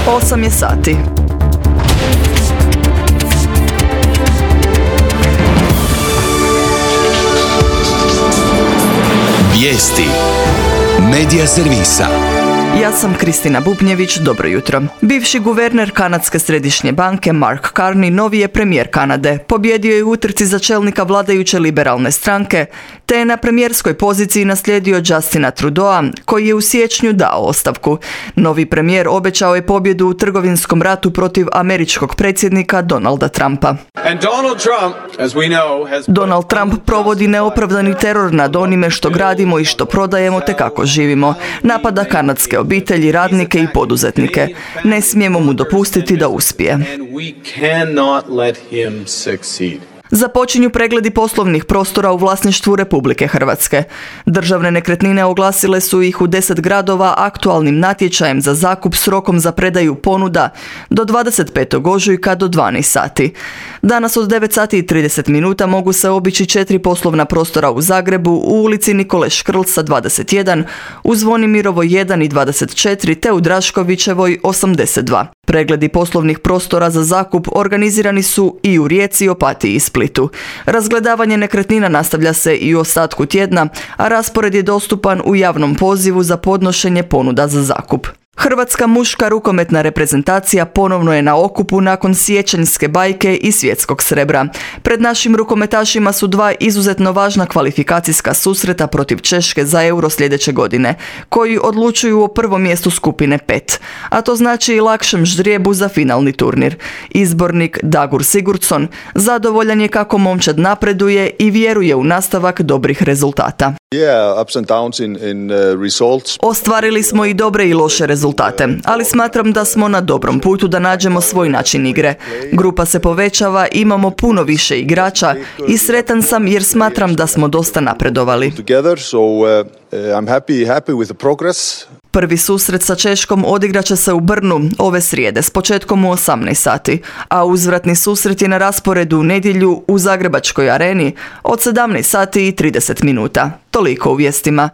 8 je sati. Vijesti Medija servisa. Ja sam Kristina Bubnjević, dobro jutro. Bivši guverner Kanadske središnje banke Mark Carney novi je premijer Kanade. Pobjedio je u utrci za čelnika vladajuće liberalne stranke, te je na premijerskoj poziciji naslijedio Justina Trudeau, koji je u siječnju dao ostavku. Novi premijer obećao je pobjedu u trgovinskom ratu protiv američkog predsjednika Donalda Trumpa. Donald Trump provodi neopravdani teror nad onime što gradimo i što prodajemo te kako živimo. Napada kanadske obitelji, radnike i poduzetnike. Ne smijemo mu dopustiti da uspije. Započinju pregledi poslovnih prostora u vlasništvu Republike Hrvatske. Državne nekretnine oglasile su ih u 10 gradova aktualnim natječajem za zakup s rokom za predaju ponuda do 25. ožujka do 12 sati. Danas od 9 sati i 30 minuta mogu se obići 4 poslovna prostora u Zagrebu, u ulici Nikole Škrlca 21, u Zvonimirovoj 1 i 24 te u Draškovićevoj 82. Pregledi poslovnih prostora za zakup organizirani su i u Rijeci, Opatiji i Splitu. Razgledavanje nekretnina nastavlja se i u ostatku tjedna, a raspored je dostupan u javnom pozivu za podnošenje ponuda za zakup. Hrvatska muška rukometna reprezentacija ponovno je na okupu nakon siječanjske bajke i svjetskog srebra. Pred našim rukometašima su 2 izuzetno važna kvalifikacijska susreta protiv Češke za Euro sljedeće godine, koji odlučuju o prvom mjestu skupine 5, a to znači i lakšem ždrijebu za finalni turnir. Izbornik Dagur Sigurdsson zadovoljan je kako momčad napreduje i vjeruje u nastavak dobrih rezultata. Ostvarili smo i dobre i loše rezultate, ali smatram da smo na dobrom putu da nađemo svoj način igre. Grupa se povećava, imamo puno više igrača i sretan sam jer smatram da smo dosta napredovali. Prvi susret sa Češkom odigraće se u Brnu ove srijede s početkom u 18 sati, a uzvratni susret je na rasporedu u nedjelju u Zagrebačkoj areni od 17 sati i 30 minuta. Toliko u vijestima.